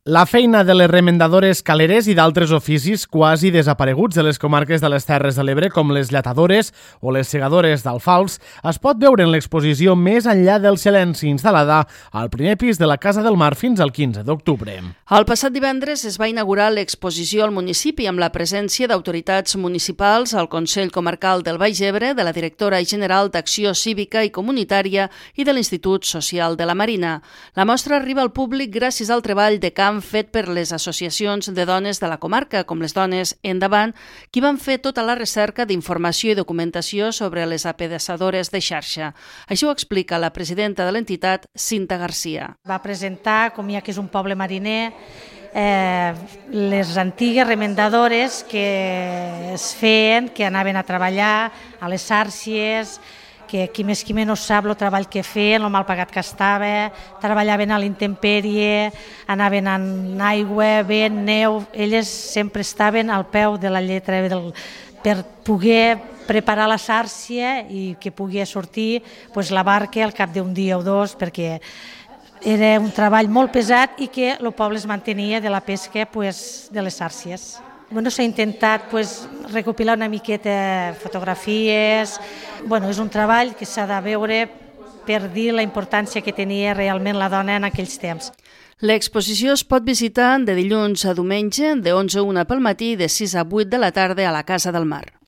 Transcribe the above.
La feina de les remendadores caleres i d'altres oficis quasi desapareguts de les comarques de les Terres de l'Ebre, com les lletadores o les segadores d'alfals, es pot veure en l'exposició Més enllà del silenci, instal·lada al primer pis de la Casa del Mar fins al 15 d'octubre. El passat divendres es va inaugurar l'exposició al municipi amb la presència d'autoritats municipals, el Consell Comarcal del Baix Ebre, de la directora general d'Acció Cívica i Comunitària i de l'Institut Social de la Marina. La mostra arriba al públic gràcies al treball de camp fet per les associacions de dones de la comarca, com les Dones Endavant, qui van fer tota la recerca d'informació i documentació sobre les apedaçadores de xarxa. Així ho explica la presidenta de l'entitat, Cinta Garcia. Va presentar, com ja que és un poble mariner, les antigues remendadores que es feien, que anaven a treballar a les xàrcies, que qui més qui menys sap el treball que feien, el mal pagat que estava, treballaven a l'intempèrie, anaven en aigua, vent, neu, elles sempre estaven al peu de la lletra per poder preparar la xàrcia i que pogués sortir la barca al cap d'un dia o dos, perquè era un treball molt pesat i que el poble es mantenia de la pesca de les xàrcies. S'ha intentat recopilar una miqueta fotografies. És un treball que s'ha de veure per dir la importància que tenia realment la dona en aquells temps. L'exposició es pot visitar de dilluns a diumenge, de 11 a 1 pel matí i de 6 a 8 de la tarda a la Casa del Mar.